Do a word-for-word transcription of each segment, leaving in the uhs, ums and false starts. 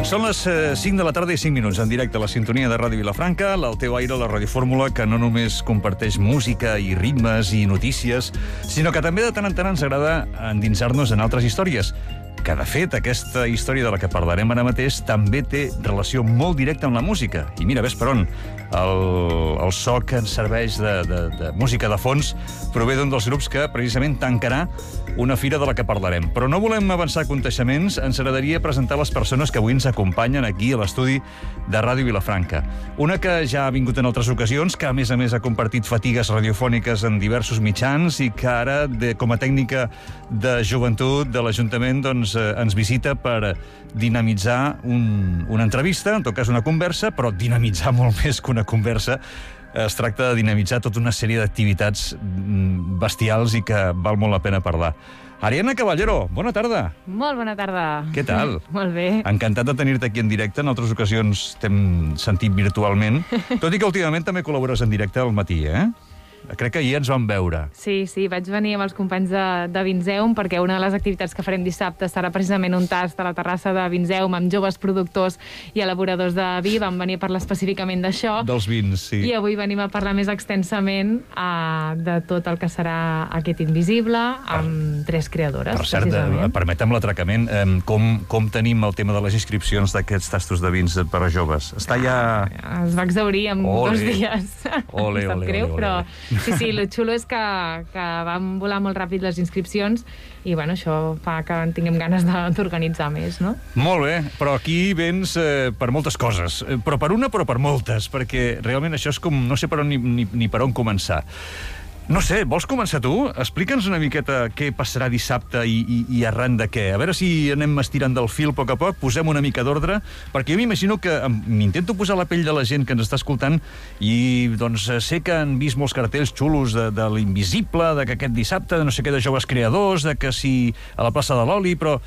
Són les cinc de la tarda i cinc minuts, en directe a la sintonia de Ràdio Vilafranca, al teu aire, la radiofórmula, que no només comparteix música i ritmes i notícies, sinó que també de tant en tant ens agrada endinsar-nos en altres històries. Que, de fet, aquesta història de la que parlarem ara mateix també té relació molt directa amb la música. I mira, ves per on. El, el so que ens serveix de, de, de música de fons prové d'un dels grups que precisament tancarà una fira de la que parlarem. Però no volem avançar aconteixements, ens agradaria presentar les persones que avui ens acompanyen aquí a l'estudi de Ràdio Vilafranca. Una que ja ha vingut en altres ocasions, que a més a més ha compartit fatigues radiofòniques en diversos mitjans i que ara, de, com a tècnica de joventut de l'Ajuntament, doncs, eh, ens visita per dinamitzar un, una entrevista, en tot cas una conversa, però dinamitzar molt més que una conversa. Es tracta de dinamitzar tota una sèrie d'activitats bestials i que val molt la pena parlar. Ariadna Caballero, bona tarda. Molt bona tarda. Què tal? Molt bé. Encantat de tenir-te aquí en directe. En altres ocasions t'hem sentit virtualment, tot i que últimament també col·labores en directe al matí, eh? Crec que ahir ens vam veure. Sí, sí, vaig venir amb els companys de, de Vinzeum perquè una de les activitats que farem dissabte serà precisament un tast a la terrassa de Vinzeum amb joves productors i elaboradors de vi. Vam venir a parlar específicament d'això. Dels vins, sí. I avui venim a parlar més extensament uh, de tot el que serà aquest Invisible amb per, tres creadores. Per cert, eh, permetem l'atracament. Eh, com, com tenim el tema de les inscripcions d'aquests tastos de vins per a joves? Està ja... Ah, es va exaurir en ole. dos dies. Ole, ole, greu, ole, ole, però... ole. Sí, sí, el xulo és que, que van volar molt ràpid les inscripcions i, bueno, això fa que en tinguem ganes d'organitzar més, no? Molt bé, però aquí vens eh, per moltes coses. Però per una, però per moltes, perquè realment això és com... no sé per on ni, ni, ni per on començar. No sé, vols començar tu? Explica'ns una miqueta què passarà dissabte i, i, i arran de què. A veure si anem estirant del fil a poc a poc, posem una mica d'ordre, perquè jo m'imagino que m'intento posar la pell de la gent que ens està escoltant i doncs sé que han vist molts cartells xulos de, de l'Invisible, de que aquest dissabte, de no sé què, de joves creadors, de que si a la plaça de l'Oli, però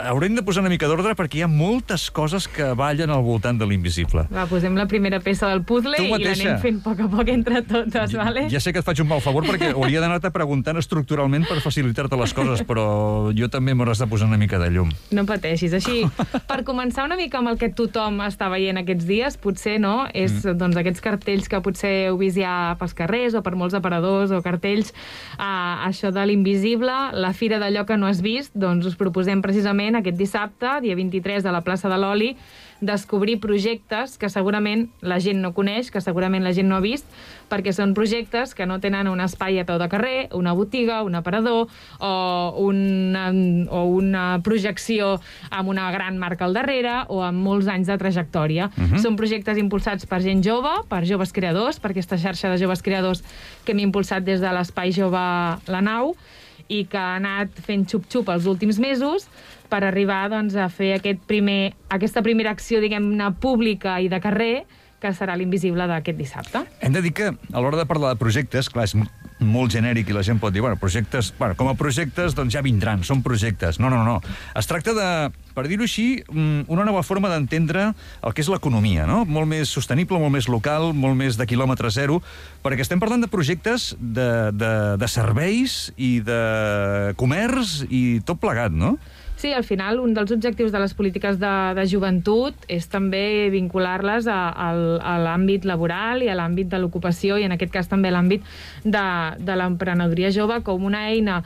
haurem de posar una mica d'ordre perquè hi ha moltes coses que ballen al voltant de l'Invisible. Va, posem la primera peça del puzzle i l'anem fent a poc a poc entre totes, vale? Ja sé que et faig un mal favor perquè hauria d'anar-te preguntant estructuralment per facilitar-te les coses, però jo també m'hauràs de posar una mica de llum. No pateixis. Així, per començar una mica amb el que tothom està veient aquests dies, potser, no?, és mm. doncs aquests cartells que potser heu vist ja pels carrers o per molts aparadors o cartells, uh, això de l'Invisible, la fira d'allò que no has vist, doncs us proposem precisament aquest dissabte, dia vint-i-tres, a la plaça de l'Oli, descobrir projectes que segurament la gent no coneix, que segurament la gent no ha vist, perquè són projectes que no tenen un espai a peu de carrer, una botiga, un aparador o una, o una projecció amb una gran marca al darrere o amb molts anys de trajectòria. Uh-huh. Són projectes impulsats per gent jove, per joves creadors, per aquesta xarxa de joves creadors que hem impulsat des de l'Espai Jove La Nau i que ha anat fent xup-xup els últims mesos per arribar doncs, a fer aquest primer, aquesta primera acció, diguem-ne, pública i de carrer, que serà l'Invisible d'aquest dissabte. Hem de dir que, a l'hora de parlar de projectes, clar, és molt genèric i la gent pot dir, bueno, projectes, bueno, com a projectes, doncs ja vindran, són projectes. No, no, no. Es tracta de, per dir-ho així, una nova forma d'entendre el que és l'economia, no? Molt més sostenible, molt més local, molt més de quilòmetre zero, perquè estem parlant de projectes de, de, de serveis i de comerç i tot plegat, no? Sí, al final, un dels objectius de les polítiques de, de joventut és també vincular-les a, a, a l'àmbit laboral i a l'àmbit de l'ocupació i, en aquest cas, també a l'àmbit de, de l'emprenedoria jove com una eina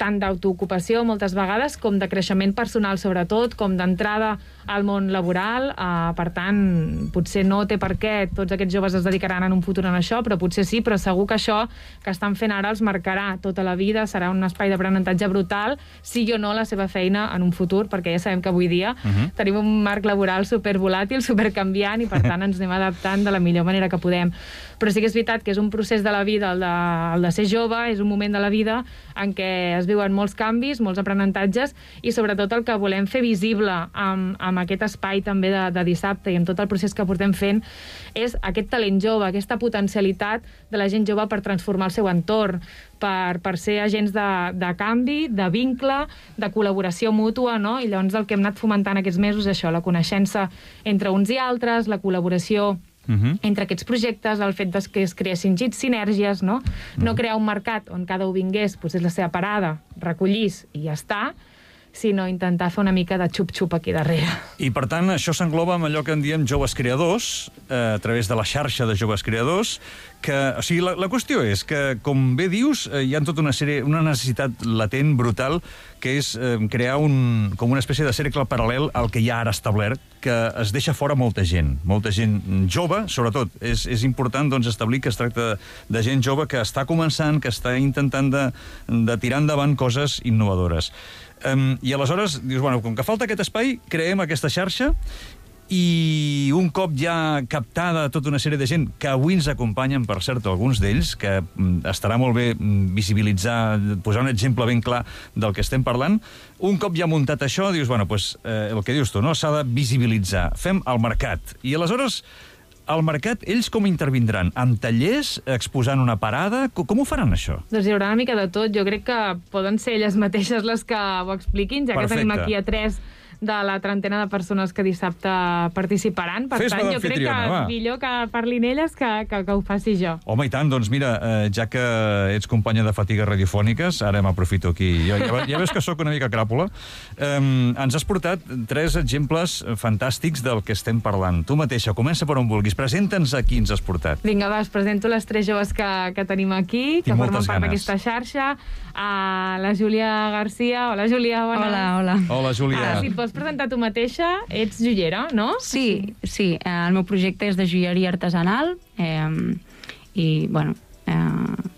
tant d'autoocupació, moltes vegades, com de creixement personal, sobretot, com d'entrada al món laboral. Uh, per tant, potser no té per què tots aquests joves es dedicaran en un futur en això, però potser sí, però segur que això que estan fent ara els marcarà tota la vida, serà un espai d'aprenentatge brutal, sigui o no la seva feina en un futur, perquè ja sabem que avui dia uh-huh. tenim un marc laboral supervolàtil, supercanviant, i per tant ens anem adaptant de la millor manera que podem. Però sí que és veritat que és un procés de la vida, el de, el de ser jove, és un moment de la vida en què es viuen molts canvis, molts aprenentatges, i sobretot el que volem fer visible amb, amb aquest espai també de, de dissabte i amb tot el procés que portem fent és aquest talent jove, aquesta potencialitat de la gent jove per transformar el seu entorn, per, per ser agents de, de canvi, de vincle, de col·laboració mútua, no? I llavors el que hem anat fomentant aquests mesos és això, la coneixença entre uns i altres, la col·laboració Uh-huh. entre aquests projectes, el fet que es creessin sinergies, no? Uh-huh. No crear un mercat on cada un vingués, potser la seva parada, recollís i ja està, sinó intentar fer una mica de xup-xup aquí darrere. I, per tant, això s'engloba amb allò que en diem joves creadors, eh, a través de la xarxa de joves creadors, que, o sigui, la, la qüestió és que, com bé dius, eh, hi ha tota una sèrie, una necessitat latent, brutal, que és eh, crear un, com una espècie de cercle paral·lel al que hi ha ara establert, que es deixa fora molta gent, molta gent jove, sobretot. És, és important doncs, establir que es tracta de gent jove que està començant, que està intentant de, de tirar endavant coses innovadores. Um, I aleshores, dius, bueno, com que falta aquest espai, creem aquesta xarxa i un cop ja captada tota una sèrie de gent que avui ens acompanyen, per cert, alguns d'ells, que estarà molt bé visibilitzar, posar un exemple ben clar del que estem parlant, un cop ja muntat això, dius, bueno, pues, eh, el que dius tu, no? S'ha de visibilitzar. Fem el mercat. I aleshores, al mercat, ells com intervindran? Amb tallers, exposant una parada? Com ho faran, això? Doncs hi haurà una mica de tot. Jo crec que poden ser elles mateixes les que ho expliquin, ja Perfecte. que tenim aquí a tres de la trentena de persones que dissabte participaran. Per Fes-me tant, jo crec que d'amfitriona, va. millor que parlin elles que, que, que ho faci jo. Home, i tant, doncs mira, eh, ja que ets companya de fatigues radiofòniques, ara m'aprofito aquí, ja, ja, ja veus que sóc una mica cràpula, eh, ens has portat tres exemples fantàstics del que estem parlant. Tu mateixa, comença per on vulguis, presenta'ns a qui ens has portat. Vinga, va, us presento les tres joves que, que tenim aquí, que Tinc formen moltes part ganes. d'aquesta xarxa. Uh, la Júlia Garcia. Hola, Júlia, bones. Hola, hola. Hola, Júlia. Ah, si et pots presentar tu mateixa, ets joiera, no? Sí, sí, eh, el meu projecte és de joieria artesanal eh, i, bueno... Eh,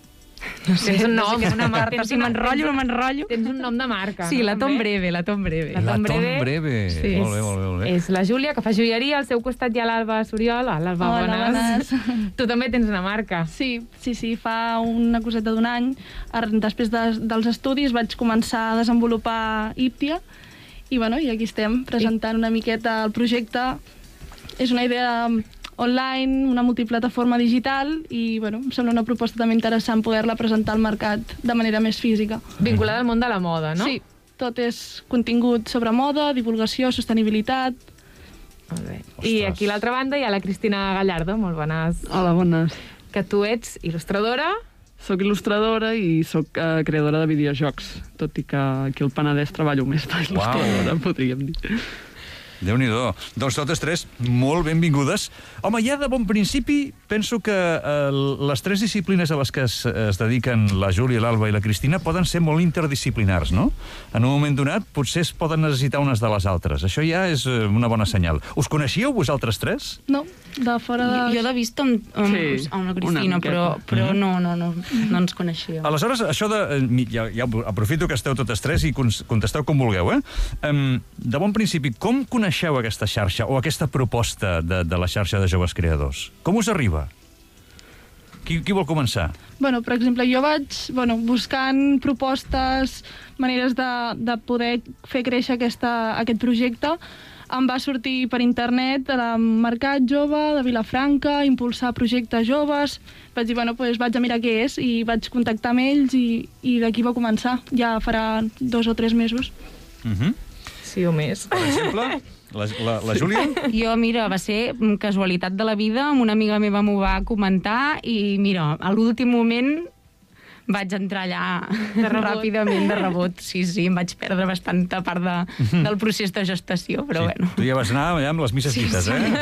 no sé, Tens un nom. no sé què és una marca, Tens si una- m'enrotllo o no m'enrotllo. Tens un nom de marca, Sí, no? la Tom També? Breve, la Tom Breve. La La Tom Tom Breve. Breve. Sí. Molt bé, molt bé, molt bé. És la Júlia, que fa joieria, al seu costat hi ha l'Alba Soriol. Ah, l'Alba, Hola, bones. Tu també tens una marca. Sí, sí, sí, fa una coseta d'un any, ar- després de, dels estudis, vaig començar a desenvolupar Iptia, i, bueno, i aquí estem, presentant una miqueta el projecte. És una idea online, una multiplataforma digital, i, bueno, em sembla una proposta també interessant poder-la presentar al mercat de manera més física. Vinculada al món de la moda, no? Sí, tot és contingut sobre moda, divulgació, sostenibilitat. Molt bé. Ostres. I aquí a l'altra banda hi ha la Cristina Gallardo, molt bones. Hola, bones. Que tu ets il·lustradora. Soc il·lustradora i soc uh, creadora de videojocs, tot i que aquí al Penedès treballo més d'il·lustradora, podríem dir. Déu-n'hi-do. Doncs totes tres, molt benvingudes. Home, ja de bon principi, penso que eh, les tres disciplines a les que es, es dediquen la Júlia, l'Alba i la Cristina poden ser molt interdisciplinars, no? En un moment donat, potser es poden necessitar unes de les altres. Això ja és eh, una bona senyal. Us coneixíeu, vosaltres tres? No, de fora de... Jo, jo l'he vist amb, amb, Sí, amb la una Cristina, miqueta. però, però Mhm. no, no, no, no ens coneixíem. Aleshores, això de... eh, Ja, ja aprofito que esteu totes tres i cons- contesteu com vulgueu, eh? Um, de bon principi, com coneixeu aquesta xarxa o aquesta proposta de, de la xarxa de joves creadors? Com us arriba? Qui, qui vol començar? Bueno, per exemple, jo vaig bueno, buscant propostes, maneres de, de poder fer créixer aquesta, aquest projecte. Em va sortir per internet el Mercat Jove de Vilafranca, impulsar projectes joves. Vaig dir, bueno, pues vaig a mirar què és, i vaig contactar amb ells, i, i d'aquí va començar. Ja farà dos o tres mesos. Uh -huh. Sí o més. Per exemple, la, la, la Júlia? Jo, mira, va ser casualitat de la vida, amb una amiga meva m'ho va comentar i, mira, a l'últim moment vaig entrar allà De rebot. ràpidament de rebot. Sí, sí, em vaig perdre bastanta part de, del procés de gestació, però Sí, bueno, tu ja vas anar allà amb les misses Sí, dites, sí. eh?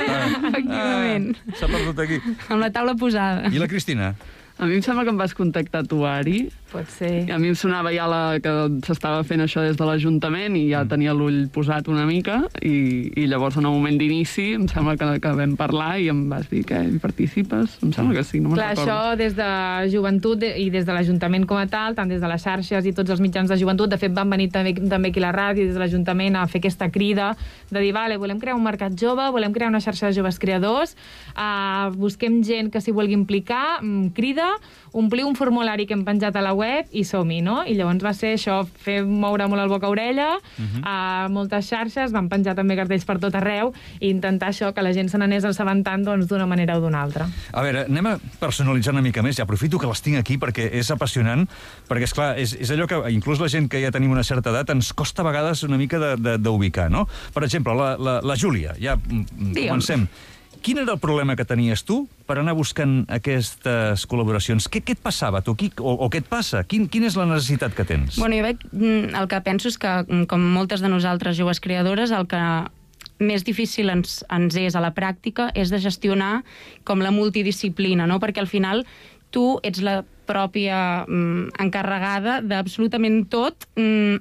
Efectivament. Ah, S'ha perdut aquí. amb la taula posada. I la Cristina? A mi em sembla que em vas contactar tu, Ari. Pot ser. A mi em sonava ja la, que s'estava fent això des de l'Ajuntament i Mm. ja tenia l'ull posat una mica, i, i llavors en el moment d'inici em sembla que, que vam parlar i em vas dir que hi participes. Em sembla que sí, no me'n Clar, recordo. això des de joventut de- i des de l'Ajuntament com a tal, tant des de les xarxes i tots els mitjans de joventut, de fet van venir també, també aquí a la ràdio des de l'Ajuntament a fer aquesta crida de dir, vale, volem crear un mercat jove, volem crear una xarxa de joves creadors, uh, busquem gent que s'hi vulgui implicar, mm, crida, omplir un formulari que hem penjat a la web i som-hi, no? I llavors va ser això, fer moure molt el boca-orella, uh -huh. a moltes xarxes, van penjar també cartells per tot arreu, i intentar això, que la gent se n'anés assabentant doncs, d'una manera o d'una altra. A veure, anem a personalitzar una mica més. Ja aprofito que les tinc aquí perquè és apassionant, perquè, esclar, és, és allò que inclús la gent que ja tenim una certa edat ens costa a vegades una mica d'ubicar, no? Per exemple, la, la, la Júlia, ja mm, Digue'm. comencem. Quin era el problema que tenies tu per anar buscant aquestes col·laboracions? Què, què et passava, tu? Qui, o, o què et passa? Quin, quina és la necessitat que tens? Bueno, jo veig, el que penso és que, com moltes de nosaltres joves creadores, el que més difícil ens, ens és a la pràctica és de gestionar com la multidisciplina, no? Perquè al final tu ets la pròpia mm, encarregada d'absolutament tot, mm,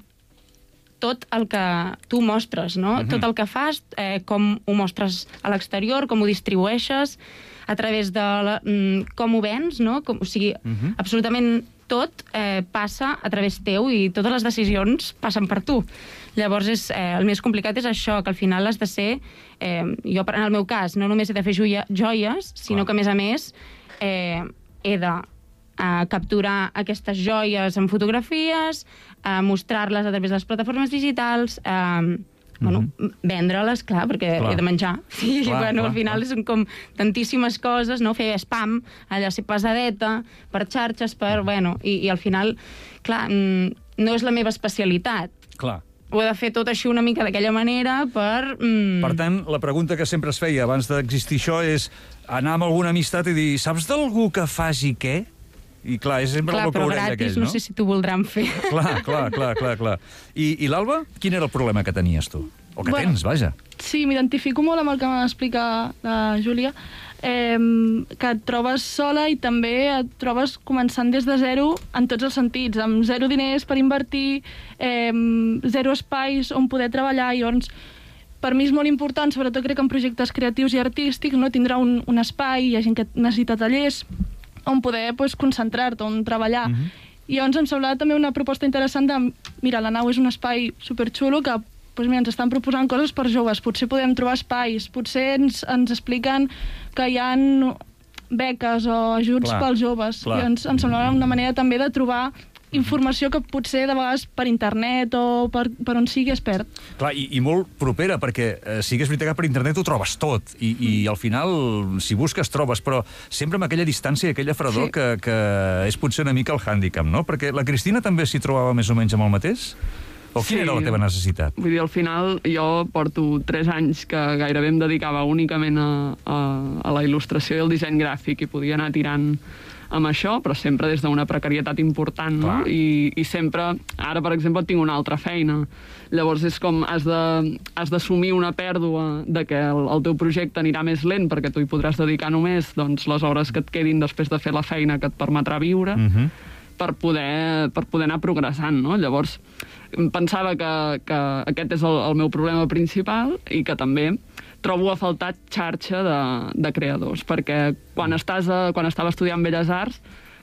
tot el que tu mostres, no? Uh-huh. Tot el que fas, eh, com ho mostres a l'exterior, com ho distribueixes, a través de la, mm, com ho vens, no? Com, o sigui, uh-huh. absolutament tot eh, passa a través teu i totes les decisions passen per tu. Llavors, és, eh, el més complicat és això, que al final has de ser... Eh, jo, en el meu cas, no només he de fer joia, joies, sinó Clar. que, a més a més, eh, he de a capturar aquestes joies en fotografies, a mostrar-les a través de les plataformes digitals, a, mm-hmm. bueno, vendre-les, clar, perquè clar. he de menjar. I, clar, bueno, clar, al final clar. són com tantíssimes coses, no? Fer spam, allà ser pesadeta, per xarxes, per... Bueno, i, i al final, clar, no és la meva especialitat. Clar. Ho he de fer tot així una mica d'aquella manera per... Mm... Per tant, la pregunta que sempre es feia abans d'existir això és anar amb alguna amistat i dir, saps d'algú que faci què? I clar, és sempre clar, el que gratis, aquell, no? no sé si t'ho voldran fer. Clar, clar, clar, clar, clar. I, i l'Alba, quin era el problema que tenies tu? O que bueno, tens, vaja. Sí, m'identifico molt amb el que m'explica la Júlia, eh, que et trobes sola i també et trobes començant des de zero en tots els sentits, amb zero diners per invertir, eh, zero espais on poder treballar, i llavors per mi és molt important, sobretot crec que en projectes creatius i artístics, no tindrà un, un espai, hi ha gent que necessita tallers, on poder pues, concentrar-te, on treballar. Uh-huh. I llavors em semblava també una proposta interessant de, mira, la nau és un espai superxulo que pues, mira, ens estan proposant coses per joves, potser podem trobar espais, potser ens, ens expliquen que hi ha beques o ajuts clar, pels joves. Clar. I ens, em semblava una manera també de trobar informació que potser de vegades per internet o per, per on sigui es perd. Clar, i, i molt propera, perquè eh, sí que és veritat que per internet ho trobes tot, i, i al final, si busques, trobes, però sempre amb aquella distància i aquella fredor sí. que, que és potser una mica el hàndicap, no? Perquè la Cristina també s'hi trobava més o menys amb el mateix? O quina sí. era la teva necessitat? Vull dir, al final jo porto tres anys que gairebé em dedicava únicament a, a, a la il·lustració i el disseny gràfic i podia anar tirant amb això, però sempre des d'una precarietat important, no? I, i sempre, ara, per exemple, tinc una altra feina. Llavors és com, has de, has d'assumir una pèrdua de que el, el teu projecte anirà més lent perquè tu hi podràs dedicar només doncs, les hores que et quedin després de fer la feina que et permetrà viure, uh-huh. per, poder, per poder anar progressant, no? Llavors, pensava que, que aquest és el, el meu problema principal i que també trobo a faltar xarxa de, de creadors, perquè quan, estàs a, quan estava estudiant Belles Arts,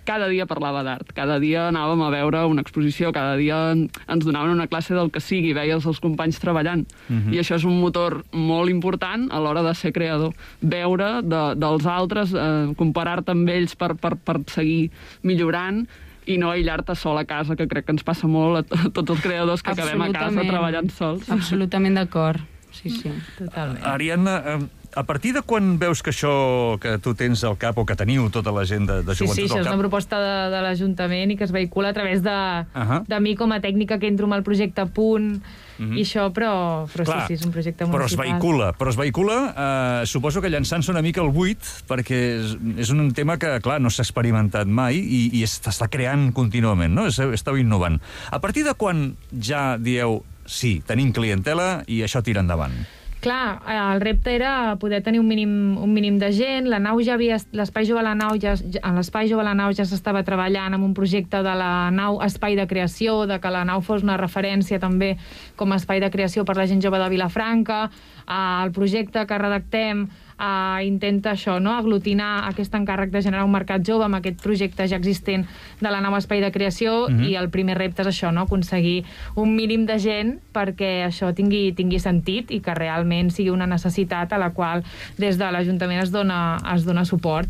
cada dia parlava d'art, cada dia anàvem a veure una exposició, cada dia ens donaven una classe del que sigui, veies els companys treballant. Uh-huh. I això és un motor molt important a l'hora de ser creador. Veure de, dels altres, eh, comparar-te amb ells per, per, per seguir millorant, i no aïllar-te sol a casa, que crec que ens passa molt a, a tots els creadors que acabem a casa treballant sols. Absolutament d'acord. Sí, sí, totalment. Ariadna, a partir de quan veus que això que tu tens al cap, o que teniu tota la gent de, de joventut al cap... Sí, sí, això és una proposta de, de l'Ajuntament i que es vehicula a través de, uh-huh. de mi com a tècnica que entro amb el projecte Punt, uh-huh. i això, però, però clar, sí, sí, és un projecte municipal. Però es vehicula, però es vehicula, eh, suposo que llançant-se una mica al buit, perquè és, és un tema que, clar, no s'ha experimentat mai i, i s'està creant contínuament, no? Esteu innovant. A partir de quan ja dieu, sí, tenim clientela i això tira endavant? Clar, el repte era poder tenir un mínim, un mínim de gent. La nau ja havia... L'Espai Jove a la Nau ja, l'Espai Jove a la Nau ja s'estava treballant amb un projecte de la nau Espai de Creació, de que la nau fos una referència també com a espai de creació per la gent jove de Vilafranca. El projecte que redactem Uh, intenta això, no? Aglutinar aquest encàrrec de generar un mercat jove amb aquest projecte ja existent de la nau Espai de Creació, mm-hmm. i el primer repte és això, no? Aconseguir un mínim de gent perquè això tingui, tingui sentit i que realment sigui una necessitat a la qual des de l'Ajuntament es dona, es dona suport.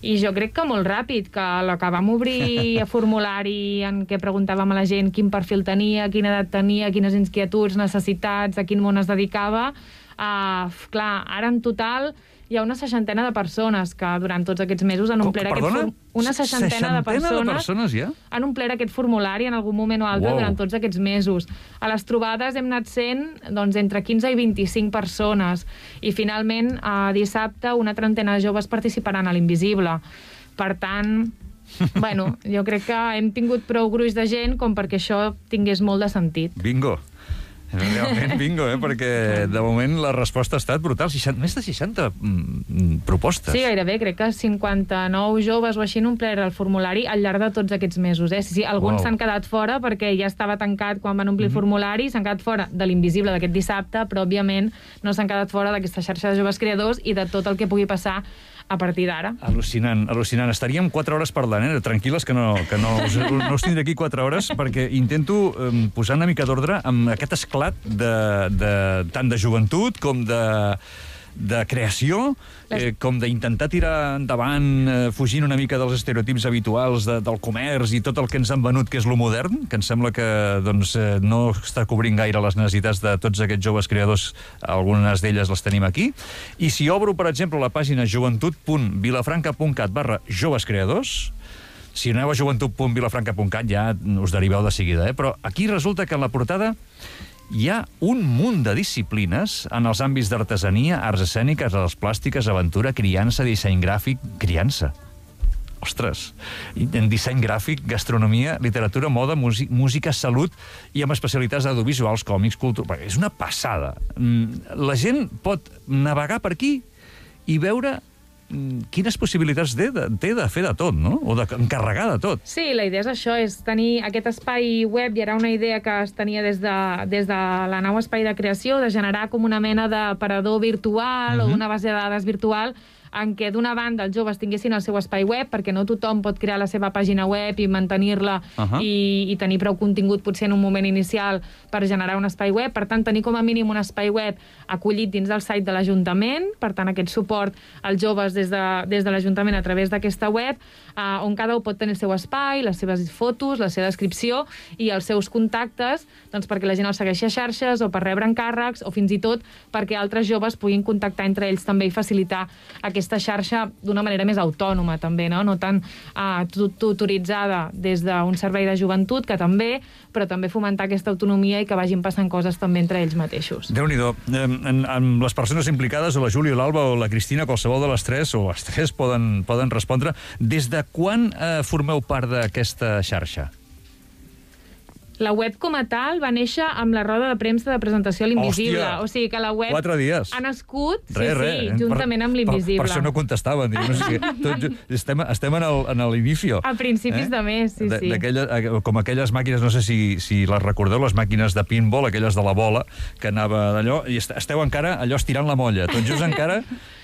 I jo crec que molt ràpid, que la que vam obrir a formulari en què preguntàvem a la gent quin perfil tenia, quina edat tenia, quines inquietuds, necessitats, a quin món es dedicava. Uh, clar, ara en total hi ha una seixantena de persones que durant tots aquests mesos han omplert aquest Perdona? formulari. Una seixantena, seixantena de persones, de persones ja? han omplert aquest formulari en algun moment o altre Wow. durant tots aquests mesos. A les trobades hem anat sent doncs, entre quinze i vint-i-cinc persones i finalment a dissabte una trentena de joves participaran a l'Invisible. Per tant, bueno, jo crec que hem tingut prou gruix de gent com perquè això tingués molt de sentit. Bingo. Realment bingo, eh? Perquè de moment la resposta ha estat brutal. seixanta, més de seixanta mm, propostes. Sí, gairebé. Crec que cinquanta-nou joves o així han omplert el formulari al llarg de tots aquests mesos. Eh? Sí, sí, alguns Wow. s'han quedat fora perquè ja estava tancat quan van omplir el formulari, s'han quedat fora de l'Invisible d'aquest dissabte, però òbviament no s'han quedat fora d'aquesta xarxa de joves creadors i de tot el que pugui passar a partir d'ara. Al·lucinant, al·lucinant. Estaríem quatre hores parlant, eh? Tranquil·les, que no, que no, us, no us tindré aquí quatre hores, perquè intento eh, posar una mica d'ordre amb aquest esclat de, de, tant de joventut com de, de creació, eh, com d'intentar tirar endavant, eh, fugint una mica dels estereotips habituals de, del comerç i tot el que ens han venut, que és lo modern, que em sembla que doncs, eh, no està cobrint gaire les necessitats de tots aquests joves creadors, algunes d'elles les tenim aquí. I si obro, per exemple, la pàgina joventut punt vilafranca punt cat barra joves creadors, si aneu a joventut punt vilafranca punt cat ja us deriveu de seguida, eh? Però aquí resulta que en la portada hi ha un munt de disciplines en els àmbits d'artesania, arts escèniques, arts plàstiques, aventura, criança, disseny gràfic... Criança. Ostres. En disseny gràfic, gastronomia, literatura, moda, música, salut i amb especialitats audiovisuals, còmics, cultura... És una passada. La gent pot navegar per aquí i veure quines possibilitats té de, té de fer de tot, no? O d'encarregar de tot. Sí, la idea és això, és tenir aquest espai web, i era una idea que es tenia des de, des de la nau Espai de Creació, de generar com una mena d'aparador virtual uh-huh. o d'una base de dades virtual en què d'una banda els joves tinguessin el seu espai web, perquè no tothom pot crear la seva pàgina web i mantenir-la uh-huh. i, i tenir prou contingut potser en un moment inicial per generar un espai web. Per tant, tenir com a mínim un espai web acollit dins del site de l'Ajuntament, per tant, aquest suport als joves des de, des de l'Ajuntament a través d'aquesta web, eh, on cada un pot tenir el seu espai, les seves fotos, la seva descripció i els seus contactes, doncs perquè la gent els segueixi a xarxes o per rebre encàrrecs o fins i tot perquè altres joves puguin contactar entre ells també i facilitar aquest aquesta xarxa d'una manera més autònoma, també, no? No tan uh, tutoritzada des d'un servei de joventut, que també, però també fomentar aquesta autonomia i que vagin passant coses també entre ells mateixos. Déu-n'hi-do. Amb les persones implicades, o la Júlia, l'Alba o la Cristina, qualsevol de les tres, o les tres poden, poden respondre. Des de quan eh, formeu part d'aquesta xarxa? La web com a tal va néixer amb la roda de premsa de presentació a l'Invisible. Hòstia! O sigui que la web Quatre dies. ha nascut, sí, Re, re. sí, juntament amb l'Invisible. Per, per això no contestaven. No sé, tot, estem, estem en el, en l'inicio. A principis eh? de mes, sí, sí. Com aquelles màquines, no sé si, si les recordeu, les màquines de pinball, aquelles de la bola, que anava d'allò, i esteu encara allò estirant la molla. Tot just encara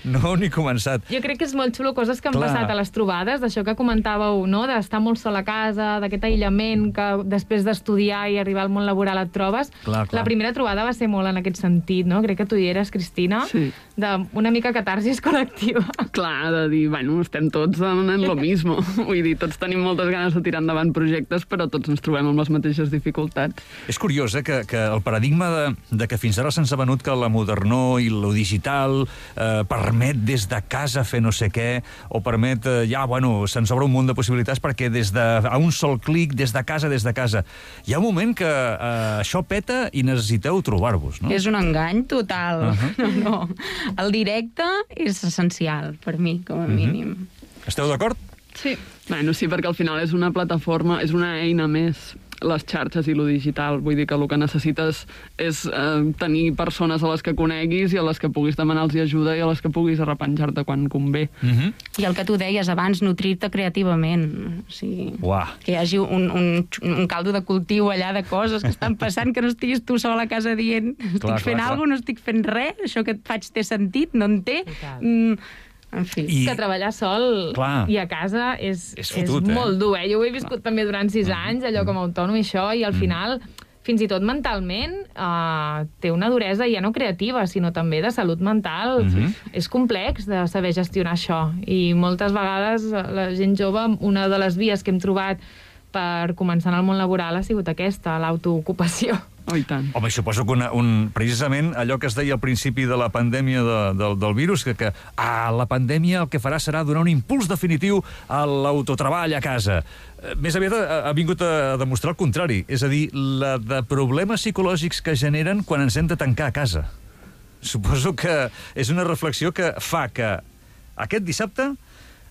no heu ni començat. Jo crec que és molt xulo coses que han Clar. passat a les trobades, d'això que comentàveu, no?, d'estar molt sol a casa, d'aquest aïllament que després d'estudiar i arribar al món laboral et trobes. Clar, clar. La primera trobada va ser molt en aquest sentit, no? Crec que tu hi eres, Cristina, sí. d'una mica catarsis col·lectiva. Clar, de dir, bueno, estem tots en lo mismo. Vull dir, tots tenim moltes ganes de tirar endavant projectes, però tots ens trobem amb les mateixes dificultats. És curiós, eh, que, que el paradigma de, de que fins ara se'ns ha venut que la modernor i lo digital eh, permet des de casa fer no sé què, o permet, eh, ja, bueno, se'ns obre un munt de possibilitats perquè des de, a un sol clic, des de casa, des de casa. Hi ha un moment que Uh, això peta i necessiteu trobar-vos, no? És un engany total. Uh-huh. No, no. El directe és essencial, per mi, com a mínim. Uh-huh. Esteu d'acord? Sí. Bueno, sí, perquè al final és una plataforma, és una eina més, les xarxes i lo digital. Vull dir que el que necessites és eh, tenir persones a les que coneguis i a les que puguis demanar-los ajuda i a les que puguis arrepenjar-te quan convé. Uh-huh. I el que tu deies abans, nutrir-te creativament. O sigui, Uah. que hi hagi un, un, un caldo de cultiu allà de coses que estan passant, que no estiguis tu sol a casa dient estic Clar, fent clar, alguna cosa, no estic fent res, això que et faig té sentit, no en té. Mm, en fi. I- Que treballar sol Clar. i a casa és, És fotut, és eh? molt dur, eh? Jo ho he viscut també durant sis anys, allò com a autònom i això, i al final, fins i tot mentalment, uh, té una duresa ja no creativa, sinó també de salut mental. Mhm. És complex de saber gestionar això, i moltes vegades la gent jove, una de les vies que hem trobat per començar en el món laboral ha sigut aquesta, l'autoocupació. Oh, i tant. Home, suposo que una, un, precisament allò que es deia al principi de la pandèmia de, de, del virus, que, que ah, la pandèmia el que farà serà donar un impuls definitiu a l'autotreball a casa. Més aviat ha, ha vingut a demostrar el contrari, és a dir, la de problemes psicològics que generen quan ens hem de tancar a casa. Suposo que és una reflexió que fa que aquest dissabte,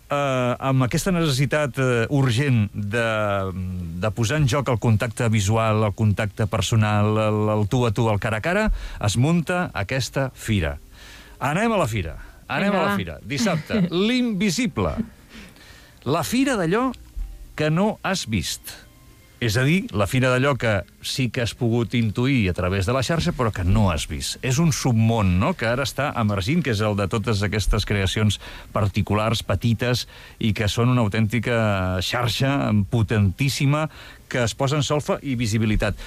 eh, amb aquesta necessitat eh, urgent de, de posar en joc el contacte visual, el contacte personal, el, el tu a tu, el cara a cara, es munta aquesta fira. Anem a la fira. Anem Vinga, a la va. fira. Dissabte, l'Invisible. La fira d'allò que no has vist. És a dir, la fira d'allò que sí que has pogut intuir a través de la xarxa, però que no has vist. És un submón, no?, que ara està emergint, que és el de totes aquestes creacions particulars, petites, i que són una autèntica xarxa potentíssima que es posa en solfa i visibilitat.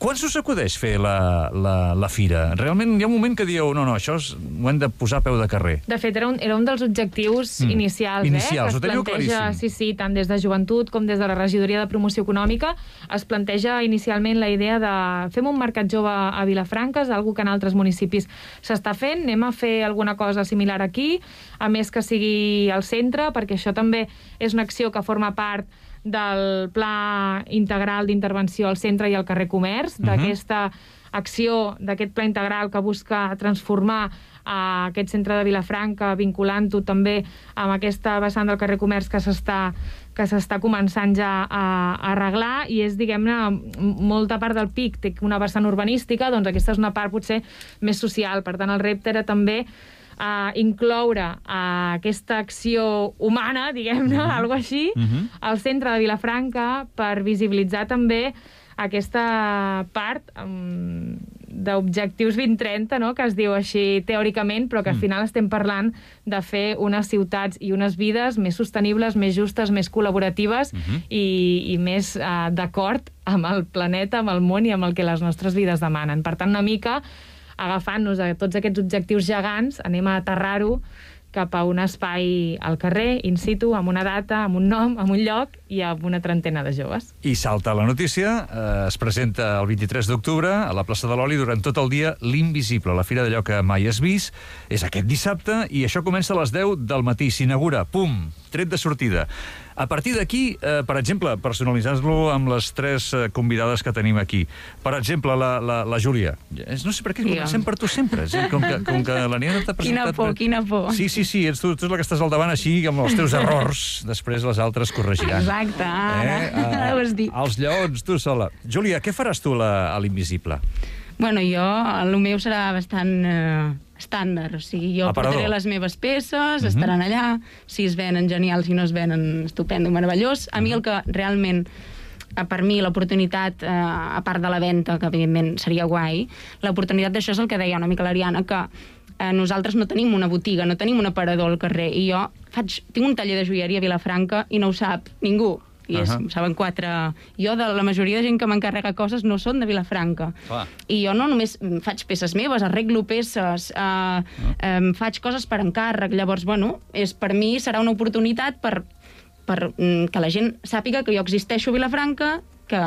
Quan us acudeix fer la, la, la fira? Realment hi ha un moment que dieu, no, no, això és, ho hem de posar a peu de carrer. De fet, era un, era un dels objectius Mm. inicials, Inicials, eh? ho teniu planteja, claríssim. sí, sí, tant des de joventut com des de la regidoria de promoció econòmica, es planteja inicialment la idea de fem un mercat jove a Vilafranca, és algo que en altres municipis s'està fent, anem a fer alguna cosa similar aquí, a més que sigui al centre, perquè això també és una acció que forma part del pla integral d'intervenció al centre i al carrer Comerç, Mhm. d'aquesta acció, d'aquest pla integral que busca transformar a aquest centre de Vilafranca, vinculant-ho també amb aquesta vessant del carrer Comerç que s'està que s'està començant ja a, a arreglar, i és, diguem-ne, molta part del P I C té una vessant urbanística, doncs aquesta és una part potser més social. Per tant, el repte era també a incloure a aquesta acció humana, diguem-ne, mm-hmm. algo així, Mhm. al centre de Vilafranca, per visibilitzar també aquesta part um, d'objectius vint trenta, no?, que es diu així teòricament, però que al final estem parlant de fer unes ciutats i unes vides més sostenibles, més justes, més col·laboratives Mhm. i, i més uh, d'acord amb el planeta, amb el món i amb el que les nostres vides demanen. Per tant, una mica agafant-nos a tots aquests objectius gegants, anem a aterrar-ho cap a un espai al carrer, in situ, amb una data, amb un nom, amb un lloc i amb una trentena de joves. I salta la notícia, eh, es presenta el vint-i-tres d'octubre a la plaça de l'Oli durant tot el dia l'Invisible, la fira d'allò que mai has vist. És aquest dissabte i això comença a les deu del matí. S'inaugura, pum, tret de sortida. A partir d'aquí, eh, per exemple, personalitzant-lo amb les tres eh, convidades que tenim aquí. Per exemple, la, la, la Júlia. No sé per què comencem per tu sempre. És com que, com que la Nina t'ha presentat... Quina por, quina por. Sí, sí, sí, ets tu, tu és la que estàs al davant així, amb els teus errors. Després les altres corregiran. Exacte, ara, Eh? ara ho has dit. Els lleons, tu sola. Júlia, què faràs tu la, a l'Invisible? Bueno, jo, el meu serà bastant eh, estàndard, o sigui, jo Aparador. portaré les meves peces, Mhm. estaran allà, si es venen genials, si no es venen estupendo, meravellós. A mi el que realment, eh, per mi, l'oportunitat, eh, a part de la venda, que evidentment seria guai, l'oportunitat d'això és el que deia una mica l'Ariana, que eh, nosaltres no tenim una botiga, no tenim un aparador al carrer, i jo faig, tinc un taller de joieria a Vilafranca i no ho sap ningú. I és, Ahà. saben quatre... Jo, de la majoria de gent que m'encarrega coses, no són de Vilafranca. Clar. I jo no només faig peces meves, arreglo peces, eh, eh, faig coses per encàrrec. Llavors, bueno, és, per mi serà una oportunitat per, per mm, que la gent sàpiga que jo existeixo a Vilafranca, que,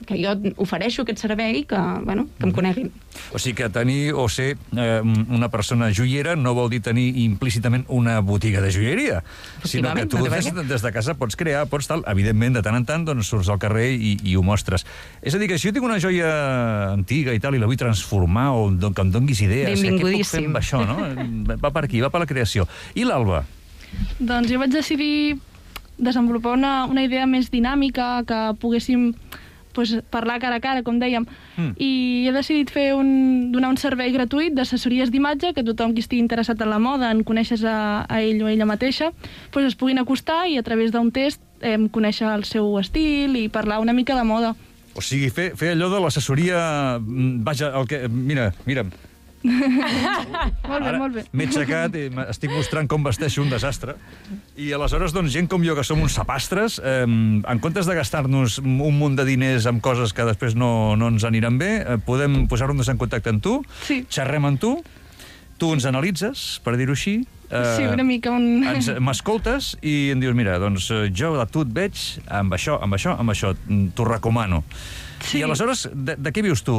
que jo ofereixo aquest servei, que, bueno, que em coneguin. O sigui que tenir o ser eh, una persona joiera no vol dir tenir implícitament una botiga de joieria, sinó que tu no té per des, què. des de casa pots crear, pots tal, evidentment, de tant en tant doncs, surts al carrer i, i ho mostres. És a dir, que si jo tinc una joia antiga i tal i la vull transformar o do- que em donguis idees, que què puc fer amb això, no? Va per aquí, va per la creació. I l'Alba? Doncs jo vaig decidir desenvolupar una, una idea més dinàmica, que poguéssim pues, parlar cara a cara, com dèiem, Mm. i he decidit fer un, donar un servei gratuït d'assessories d'imatge, que tothom qui estigui interessat en la moda, en conèixer a, a ell o a ella mateixa, pues, es puguin acostar i a través d'un test eh, conèixer el seu estil i parlar una mica de moda. O sigui, fer, fer allò de l'assessoria... mm, Vaja, el que... Mira, mira, Molt bé, ara molt bé. m'he aixecat i estic mostrant com vesteixo un desastre. I aleshores, doncs, gent com jo, que som uns sapastres, eh, en comptes de gastar-nos un munt de diners amb coses que després no, no ens aniran bé, eh, podem posar-nos en contacte amb tu, Sí. xerrem amb tu, tu ens analitzes, per dir-ho així, Sí, una mica un... M'escoltes i em dius, mira, doncs jo a tu et veig amb això, amb això, amb això, t'ho recomano. Sí. I aleshores, de, de què vius tu?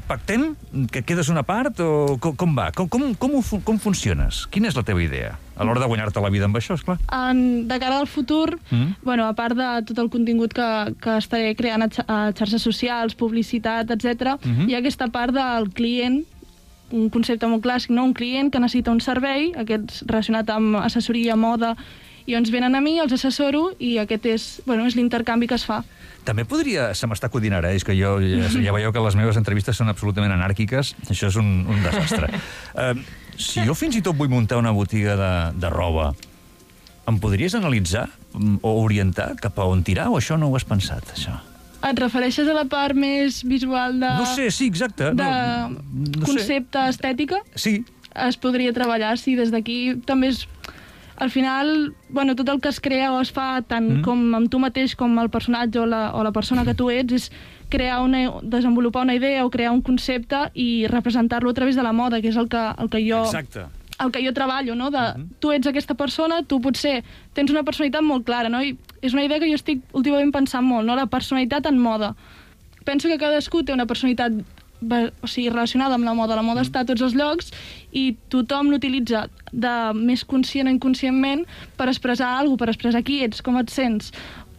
Pactem? Que quedes una part? O com, com va? Com, com, com, com funciones? Quina és la teva idea? A l'hora de guanyar-te la vida amb això, esclar. En, de cara al futur, mm. bueno, a part de tot el contingut que, que estaré creant a, a xarxes socials, publicitat, etcètera, mm-hmm. hi ha aquesta part del client, un concepte molt clàssic, no? Un client que necessita un servei, aquest relacionat amb assessoria, moda, i ens venen a mi, els assessoro, i aquest és, bueno, és l'intercanvi que es fa. També podria... Se m'està acudint ara, eh? És que jo ja, ja veieu que les meves entrevistes són absolutament anàrquiques. Això és un, un desastre. uh, si jo fins i tot vull muntar una botiga de, de roba, em podries analitzar o orientar cap a on tirar, o això no ho has pensat, això? Et refereixes a la part més visual de... No sé, sí, exacte. De no, no concepte sé. estètica? Sí. Es podria treballar, sí, des d'aquí també és... Al final, bueno, tot el que es crea o es fa tant mm. com amb tu mateix com el personatge o la, o la persona que tu ets és crear una, desenvolupar una idea o crear un concepte i representar-lo a través de la moda, que és el que, el que jo... Exacte. El que jo treballo, no? De, uh-huh. Tu ets aquesta persona, tu potser tens una personalitat molt clara, no? I és una idea que jo estic últimament pensant molt, no? La personalitat en moda. Penso que cadascú té una personalitat, o sigui, relacionada amb la moda. La moda uh-huh. està a tots els llocs i tothom l'utilitza de més conscient o inconscientment per expressar alguna cosa, per expressar qui ets, com et sents.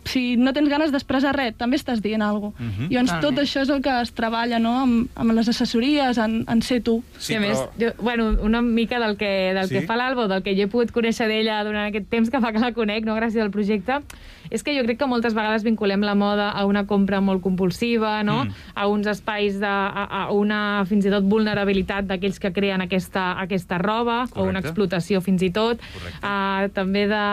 Si no tens ganes d'expressar res, també estàs dient alguna cosa. Uh-huh. Llavors, ah, tot bé. Això és el que es treballa, no?, amb, amb les assessories, en, en ser tu. Sí, a més, però... jo, bueno, una mica del que, del sí? que fa l'Alba, del que jo he pogut conèixer d'ella durant aquest temps que fa que la conec, no?, gràcies al projecte, és que jo crec que moltes vegades vinculem la moda a una compra molt compulsiva, no?, mm. a uns espais de... A, a una, fins i tot, vulnerabilitat d'aquells que creen aquesta, aquesta roba, correcte, o una explotació, fins i tot, uh, també de...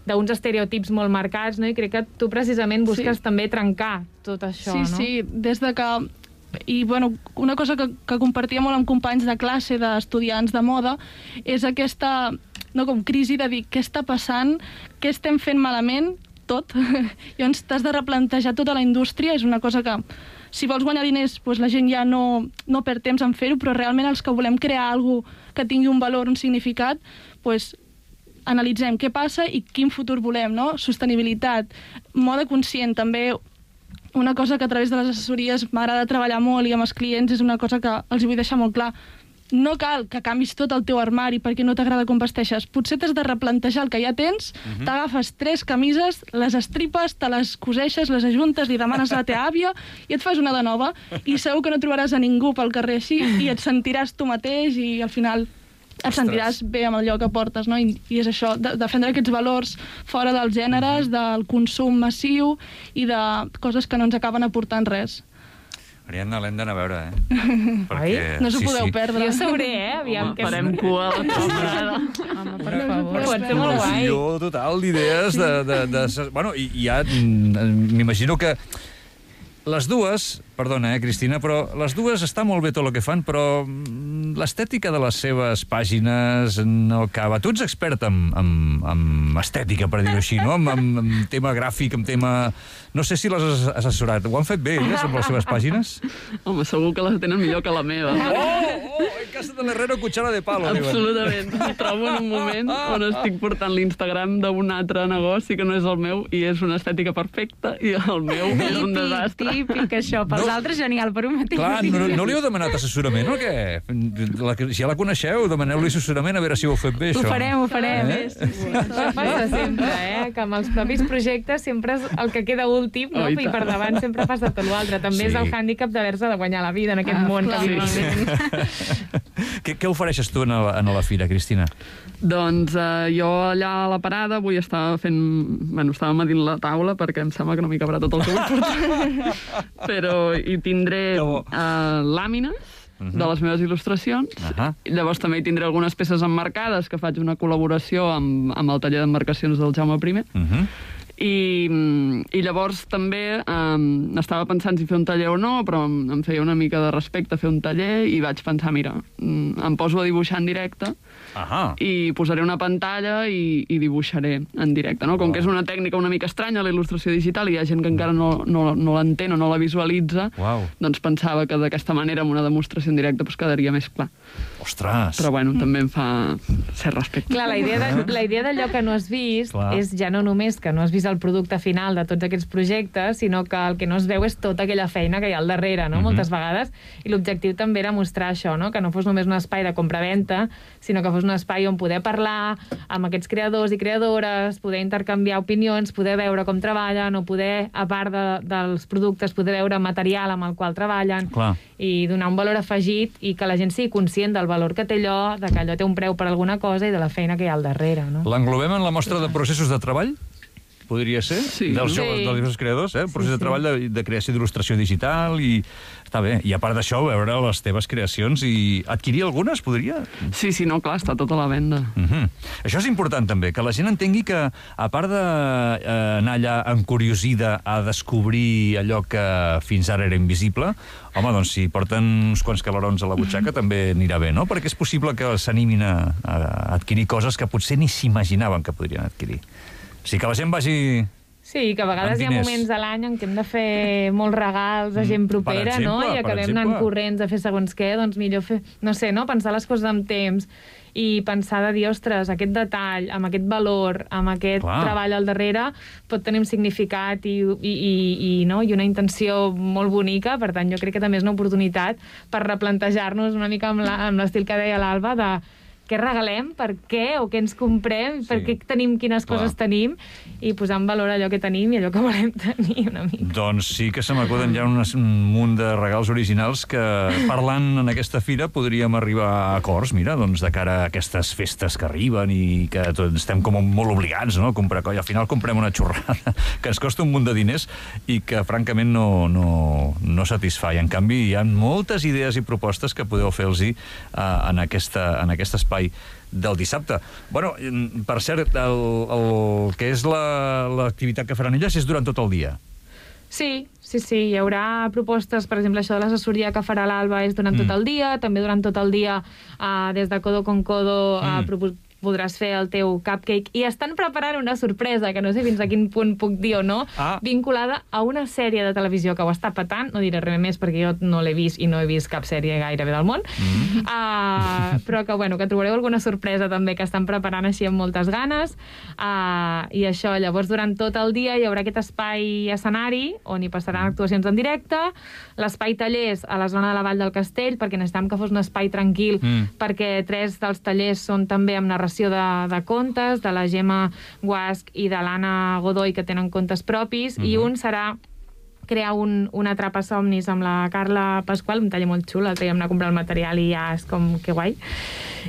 d'uns estereotips molt marcats, no? I crec que tu precisament busques sí. també trencar tot això, sí, no? Sí, sí, des de que... I, bueno, una cosa que, que compartia molt amb companys de classe, d'estudiants de moda, és aquesta, no, com crisi de dir què està passant, què estem fent malament, tot. Llavors t'has de replantejar tota la indústria, és una cosa que... Si vols guanyar diners, doncs la gent ja no, no perd temps en fer-ho, però realment els que volem crear alguna cosa que tingui un valor, un significat, doncs analitzem què passa i quin futur volem, no? Sostenibilitat, moda conscient, també una cosa que a través de les assessories m'agrada treballar molt i amb els clients és una cosa que els vull deixar molt clar. No cal que canvis tot el teu armari perquè no t'agrada com vesteixes. Potser t'has de replantejar el que ja tens, uh-huh. t'agafes tres camises, les estripes, te les coseixes, les ajuntes, li demanes a la teva àvia i et fas una de nova i segur que no trobaràs a ningú pel carrer així i et sentiràs tu mateix i al final... et sentiràs bé amb allò que portes, no? I, i és això, de, defendre aquests valors fora dels gèneres, del consum massiu i de coses que no ens acaben aportant res. Ariadna, l'hem d'anar a veure, eh? Perquè... No s'ho sí, podeu sí. perdre. Jo sabré, eh? Aviam, home, que farem cua a la tornada. Home, per favor. Pot ser molt guai. Jo, total, d'idees de, de, de... Bueno, i ja m'imagino que les dues, perdona, eh, Cristina, però les dues està molt bé tot el que fan, però l'estètica de les seves pàgines no acaba. Tu ets expert en, en, en estètica, per dir-ho així, no? En, en, en tema gràfic, en tema... No sé si les has assessorat. Ho han fet bé, elles, amb les seves pàgines? Home, segur que les tenen millor que la meva. Oh, oh, en casa de l'herrero, cuchara de palo. Absolutament. Em trobo en un moment on estic portant l'Instagram d'un altre negoci que no és el meu i és una estètica perfecta i el meu és un desastre. Típic, això. Pels no, altres, genial. Per un mateix. Clar, no, no li heu demanat assessorament, o què? La, si ja la coneixeu, demaneu-li assessorament a veure si ho heu fet bé, això. Ho farem, ho farem. Eh? Sí, sí. Això passa sempre, eh? Que amb els propis projectes sempre és el que queda últim, no? Oh, i, I per davant sempre fas de tot l'altre. També sí. és el hàndicap d'haver-se de guanyar la vida en aquest ah, món que vivim. Sí. què, què ofereixes tu en la, en la fira, Cristina? Doncs eh, jo allà a la parada vull estar fent... Bueno, estava medint la taula perquè em sembla que no m'hi cabrà tot el que vull portar. Però hi tindré eh, làmines uh-huh. de les meves il·lustracions. Uh-huh. Llavors també hi tindré algunes peces emmarcades que faig una col·laboració amb, amb el taller d'emmarcacions del Jaume I. Uh-huh. I, i llavors també um, estava pensant si fer un taller o no, però em, em feia una mica de respecte fer un taller i vaig pensar, mira, em poso a dibuixar en directe Ahà. i posaré una pantalla i, i dibuixaré en directe, no? Com Wow. que és una tècnica una mica estranya, la il·lustració digital, i hi ha gent que encara no, no, no l'entén o no la visualitza, Wow. doncs pensava que d'aquesta manera, amb una demostració en directe, doncs quedaria més clar. Ostres! Però bueno, també em fa cert respecte. Clar, la idea de- la idea d'allò que no has vist Clar. és ja no només que no has vist el producte final de tots aquests projectes, sinó que el que no es veu és tota aquella feina que hi ha al darrere, no? Mhm. Moltes vegades. I l'objectiu també era mostrar això, no? Que no fos només un espai de compra-venta, sinó que fos un espai on poder parlar amb aquests creadors i creadores, poder intercanviar opinions, poder veure com treballen, o poder, a part de, dels productes, poder veure material amb el qual treballen, Clar. i donar un valor afegit i que la gent sigui conscient del valor que té allò, de que allò té un preu per alguna cosa i de la feina que hi ha al darrere, no? L'englobem en la mostra de processos de treball? Podria ser? Sí. Dels Sí. joves, dels diversos creadors, eh? Un procés Sí, de sí. treball de, de creació d'il·lustració digital i... Està bé. I a part d'això, veure les teves creacions i adquirir algunes, podria? Sí, sí, no, clar, està tota la venda. Uh -huh. Això és important també, que la gent entengui que, a part d'anar allà encuriosida a descobrir allò que fins ara era invisible, home, doncs si porten uns quants calarons a la butxaca també anirà bé, no? Perquè és possible que s'animin a, a adquirir coses que potser ni s'imaginaven que podrien adquirir. O sigui, que la gent vagi... Sí, que a vegades Amb hi ha diners. moments a l'any en què hem de fer molts regals a gent propera, Per no? exemple, I per acabem exemple. anant corrents a fer segons què, doncs millor fer, no sé, no? Pensar les coses amb temps i pensar de dir, ostres, aquest detall, amb aquest valor, amb aquest Clar. treball al darrere, pot tenir un significat i, i, i, i, no? I una intenció molt bonica. Per tant, jo crec que també és una oportunitat per replantejar-nos una mica amb la- amb l'estil que deia l'Alba, de què regalem, per què, o què ens comprem, Sí. per què tenim, quines Clar. coses tenim, i posar en valor allò que tenim i allò que volem tenir una mica. Doncs sí que se m'acuden ja un, un munt de regals originals que, parlant en aquesta fira, podríem arribar a acords, mira, doncs de cara a aquestes festes que arriben i que tots estem com molt obligats, no?, a comprar coi. Al final comprem una xorrada que ens costa un munt de diners i que, francament, no, no, no satisfà. I, en canvi, hi ha moltes idees i propostes que podeu fer-los uh, en, aquesta, en aquest espai del dissabte. Bueno, per cert, el, el que és la- l'activitat que faran elles és durant tot el dia. Sí, sí, sí, hi haurà propostes, per exemple, això de l'assessoria que farà l'Alba és durant Mm. tot el dia, també durant tot el dia uh, des de Codo con Codo uh, Mm. propos- podràs fer el teu cupcake, i estan preparant una sorpresa, que no sé fins a quin punt puc dir o no, Ah. vinculada a una sèrie de televisió que ho està patant, no diré res més perquè jo no l'he vist i no he vist cap sèrie gairebé del món, mm. uh, però que, bueno, que trobareu alguna sorpresa també que estan preparant així amb moltes ganes, uh, i això, llavors durant tot el dia hi haurà aquest espai escenari on hi passaran actuacions en directe, l'espai tallers a la zona de la Vall del Castell, perquè necessitàvem que fos un espai tranquil, Mm. perquè tres dels tallers són també amb narració de, de contes, de la Gemma Guasc i de l'Anna Godoy, que tenen contes propis, Mhm. i un serà crear un, un atrapa-somnis amb la Carla Pasqual, un taller molt xul, el que vam anar a comprar el material i ja és com que guai.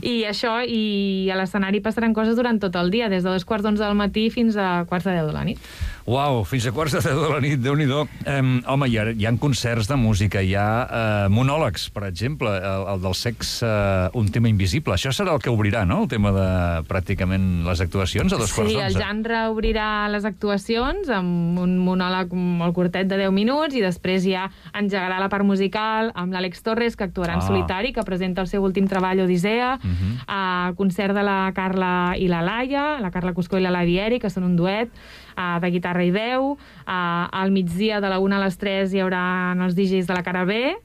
I això, i a l'escenari passaran coses durant tot el dia, des de dos quarts d'onze del matí fins a quarts de deu de la nit. Uau, fins a quarts de deu de la nit, Déu-n'hi-do. Um, home, hi ha, hi ha concerts de música, hi ha uh, monòlegs, per exemple, el, el del sexe, uh, un tema invisible. Això serà el que obrirà, no?, el tema de pràcticament les actuacions a dos quarts Sí, d'onze. el Jandra obrirà les actuacions amb un monòleg molt curtet de deu minuts, i després ja engegarà la part musical amb l'Àlex Torres, que actuarà en Ah. solitari, que presenta el seu últim treball, Odissea, Mhm. a concert de la Carla i la Laia, la Carla Cuscó i la Laia Eri, que són un duet, uh, de guitarra i veu. Uh, al migdia, de la una a les tres, hi haurà els D Js de la cara B,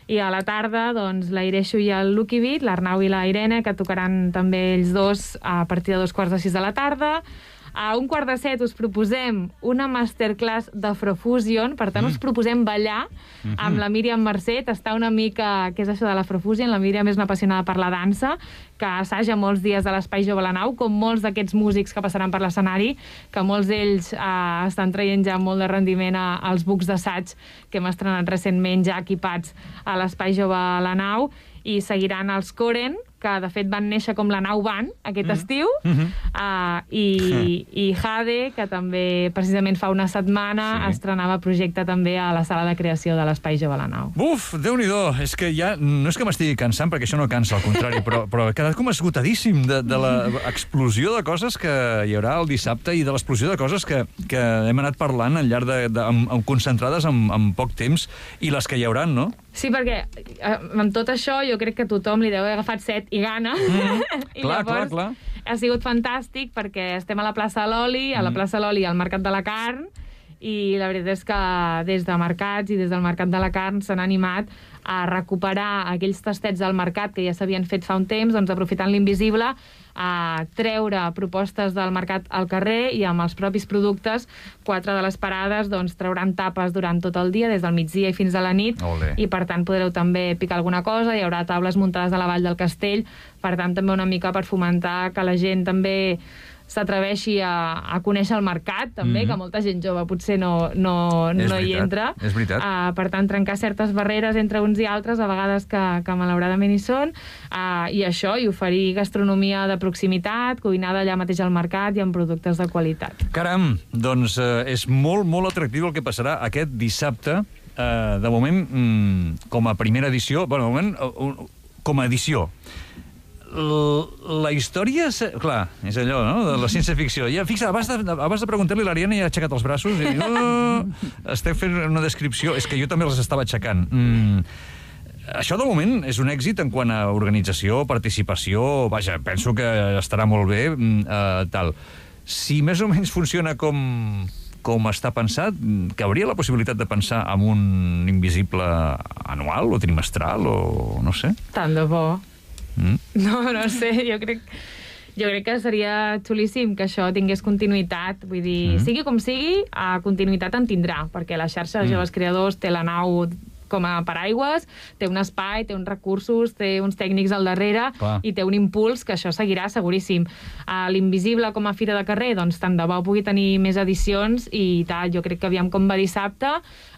i a la tarda, doncs, la Ireixo i el Lucky Beat, l'Arnau i la Irene, que tocaran també ells dos a partir de dos quarts de sis de la tarda. A un quart de set us proposem una masterclass d'Afrofusion, per tant, mm. us proposem ballar Mhm. amb la Míriam Mercè, tastar una mica què és això de l'Afrofusion. La Míriam és una apassionada per la dansa, que assaja molts dies a l'Espai Jove a la Nau, com molts d'aquests músics que passaran per l'escenari, que molts d'ells eh, estan traient ja molt de rendiment a, als bucs d'assaig que hem estrenat recentment, ja equipats a l'Espai Jove a la Nau, i seguiran els Coren, que de fet van néixer com la Nau Band aquest mm. estiu, Mhm. uh, i, i Jade, que també precisament fa una setmana Sí. estrenava projecte també a la sala de creació de l'Espai Jove a la Nau. Uf, Déu-n'hi-do, és que ja, no és que m'estigui cansant, perquè això no cansa, al contrari, però, però he quedat com esgotadíssim de, de l'explosió de coses que hi haurà el dissabte i de l'explosió de coses que, que hem anat parlant al llarg de, de, amb, amb concentrades en, en poc temps, i les que hi hauran, no? Sí, perquè amb tot això jo crec que tothom li deu haver agafat set i gana. Mm. I clar, llavors clar, clar. ha sigut fantàstic perquè estem a la plaça de l'Oli, a la Mm. plaça de l'Oli al Mercat de la Carn, i la veritat és que des de mercats i des del Mercat de la Carn s'han animat a recuperar aquells tastets del mercat que ja s'havien fet fa un temps, doncs aprofitant l'invisible, a treure propostes del mercat al carrer i amb els propis productes, quatre de les parades doncs, trauran tapes durant tot el dia, des del migdia i fins a la nit, Olé. i per tant podreu també picar alguna cosa, hi haurà taules muntades a la Vall del Castell, per tant també una mica per fomentar que la gent també s'atreveixi a, a conèixer el mercat, també, Mhm. que molta gent jove potser no, no, És no hi veritat, entra. és veritat. Uh, per tant, trencar certes barreres entre uns i altres, a vegades que, que malauradament hi són, uh, i això, i oferir gastronomia de proximitat, cuinada allà mateix al mercat i amb productes de qualitat. Caram, doncs eh, és molt, molt atractiu el que passarà aquest dissabte. Eh, de moment, mm, com a primera edició, bueno, de moment, uh, uh, com a edició. L la història... Se... Clar, és allò, no?, de la ciència-ficció. Ja, fixa, abans de, abans de preguntar-li, l'Ariana ja ha aixecat els braços i diu... Oh, estem fent una descripció... És que jo també les estava aixecant. Mm, això, de moment, és un èxit en quant a organització, participació... Vaja, penso que estarà molt bé, eh, tal. Si més o menys funciona com... com està pensat, que hauria la possibilitat de pensar en un invisible anual o trimestral o no sé. Tant de bo. Mm. No, no sé, jo crec... Jo crec que seria xulíssim que això tingués continuïtat. Vull dir, Mm. sigui com sigui, a continuïtat en tindrà, perquè la xarxa de Mm. joves creadors té la nau com a paraigües, té un espai, té uns recursos, té uns tècnics al darrere, Clar. i té un impuls que això seguirà seguríssim. A l'Invisible com a fira de carrer, doncs tant de bo pugui tenir més edicions i tal. Jo crec que aviam com va dissabte,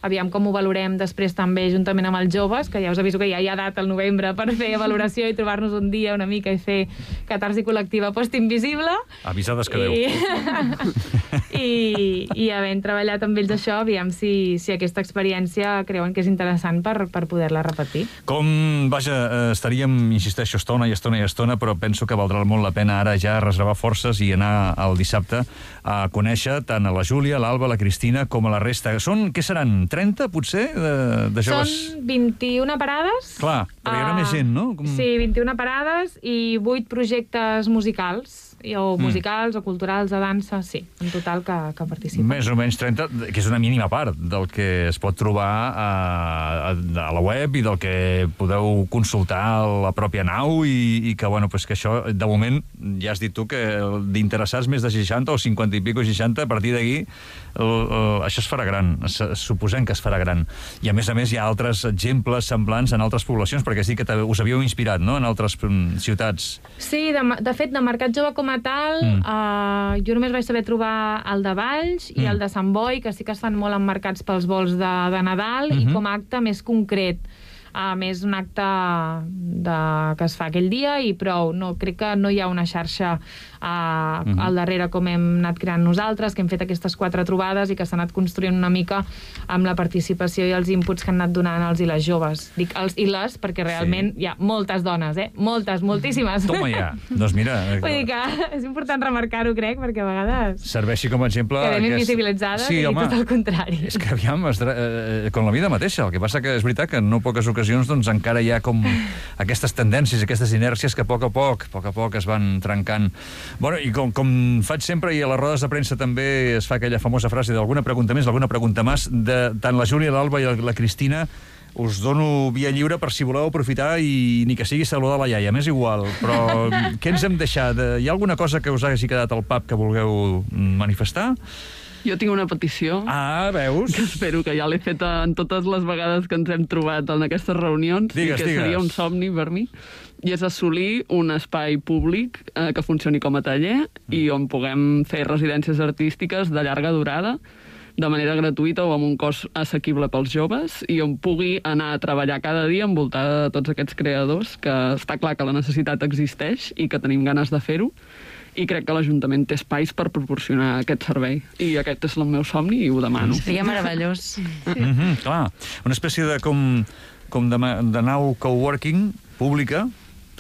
aviam com ho valorem després també juntament amb els joves, que ja us aviso que ja hi ha data al novembre per fer valoració i trobar-nos un dia una mica i fer catarsi col·lectiva post-invisible. Avisades que I... Déu. I, i havent treballat amb ells això, aviam si, si aquesta experiència creuen que és interessant per, per poder-la repetir. Com, vaja, eh, estaríem, insisteixo, estona i estona i estona, però penso que valdrà molt la pena ara ja reservar forces i anar el dissabte a conèixer tant a la Júlia, l'Alba, la Cristina, com a la resta. Són, què seran, trenta, potser, de, de joves? Són vint-i-una parades. Clar, però hi haurà Ah, més gent, no? Com... Sí, vint-i-una parades i vuit projectes musicals, i- o musicals o culturals de dansa, sí, en total que, que participen. Més o menys trenta, que és una mínima part del que es pot trobar a, a, a la web i del que podeu consultar a la pròpia nau i, i que, bueno, pues que això, de moment, ja has dit tu que d'interessats més de seixanta o cinquanta i pico seixanta, a partir d'aquí això es farà gran, suposem que es farà gran. I a més a més hi ha altres exemples semblants en altres poblacions, perquè has dit que us havíeu inspirat, no?, en altres ciutats. Sí, de, de fet, de Mercat Jove com a tal, mm. uh, jo només vaig saber trobar el de Valls i Mm. el de Sant Boi, que sí que es fan molt emmarcats pels vols de, de Nadal, Mm-hmm. i com a acte més concret. A més, un acte de, que es fa aquell dia i prou. No, crec que no hi ha una xarxa uh, Mm-hmm. al darrere com hem anat creant nosaltres, que hem fet aquestes quatre trobades i que s'ha anat construint una mica amb la participació i els inputs que han anat donant els i les joves. Dic els i les perquè realment Sí. hi ha moltes dones, eh? Moltes, moltíssimes. Toma ja. Doncs mira... Vull dir que és important remarcar-ho, crec, perquè a vegades serveixi com a exemple... quedem aquest- invisibilitzades sí, i home, tot el contrari. És que, aviam, es, eh, com la vida mateixa. El que passa que és veritat que en no poques ocasions doncs, encara hi ha com aquestes tendències, aquestes inèrcies que a poc a poc, a poc a poc es van trencant. Bueno, i com, com faig sempre, i a les rodes de premsa també es fa aquella famosa frase d'alguna pregunta més, alguna pregunta més, de tant la Júlia, l'Alba i la Cristina, us dono via lliure per si voleu aprofitar i ni que sigui saludar la iaia, m'és igual, però què ens hem deixat? Hi ha alguna cosa que us hagi quedat al pap que vulgueu manifestar? Jo tinc una petició. Ah, veus? Que espero que ja l'he fet en totes les vegades que ens hem trobat en aquestes reunions, Digues, i que digues. seria un somni per mi, i és assolir un espai públic eh, que funcioni com a taller i on puguem fer residències artístiques de llarga durada, de manera gratuïta o amb un cost assequible pels joves, i on pugui anar a treballar cada dia envoltada de tots aquests creadors, que està clar que la necessitat existeix i que tenim ganes de fer-ho, i crec que l'Ajuntament té espais per proporcionar aquest servei. I aquest és el meu somni i ho demano. Seria meravellós. Mm-hmm, clar, una espècie de com, com de, ma- de nau coworking pública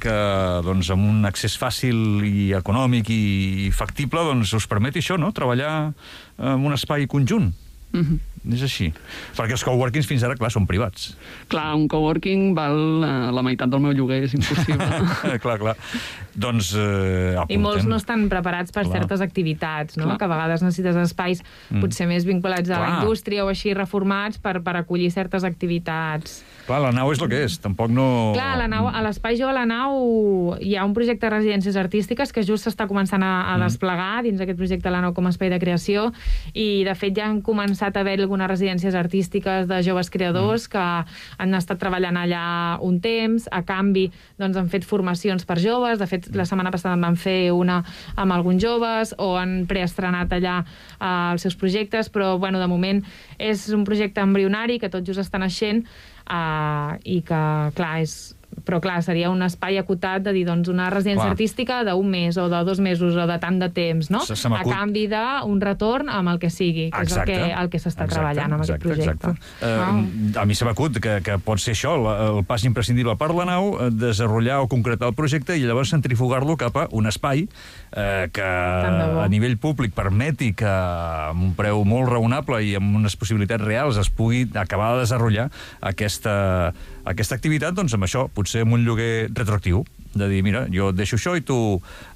que doncs, amb un accés fàcil i econòmic i factible doncs, us permeti això, no? Treballar en un espai conjunt. Mm-hmm. és així. Perquè els coworkings fins ara, clar, són privats. Clar, un coworking val eh, la meitat del meu lloguer, és impossible. clar, clar. Doncs eh, apuntem. I molts no estan preparats per Clar. certes activitats, no? Clar. Que a vegades necessites espais Mm. potser més vinculats a Clar. la indústria o així reformats per, per acollir certes activitats. Clar, la nau és el que és, tampoc no... Clar, a, la nau, a l'Espai Jove a la Nau hi ha un projecte de residències artístiques que just s'està començant a, a desplegar dins aquest projecte a la Nau com a espai de creació, i de fet ja han començat a haver algunes residències artístiques de joves creadors mm. que han estat treballant allà un temps. A canvi, doncs, han fet formacions per joves. De fet, la setmana passada en van fer una amb alguns joves, o han preestrenat allà eh, els seus projectes, però bueno, de moment és un projecte embrionari que tot just està naixent. Uh, i que, clar, és... però clar, seria un espai acotat de dir, doncs, una residència Clar. artística d'un mes o de dos mesos o de tant de temps, no? Se- se A m'acut- canvi d'un retorn amb el que sigui, que Exacte. és el que, el que s'està Exacte, treballant amb exacte, aquest projecte. exacte. Uh, a mi se m'acut que, que pot ser això, la, el pas imprescindible per la nau, eh, desenrotllar o concretar el projecte i llavors centrifugar-lo cap a un espai eh, que de bo. a nivell públic permeti que amb un preu molt raonable i amb unes possibilitats reals es pugui acabar de desenrotllar aquesta, aquesta activitat, doncs amb això, potser amb un lloguer retroactiu, de dir, mira, jo et deixo això i tu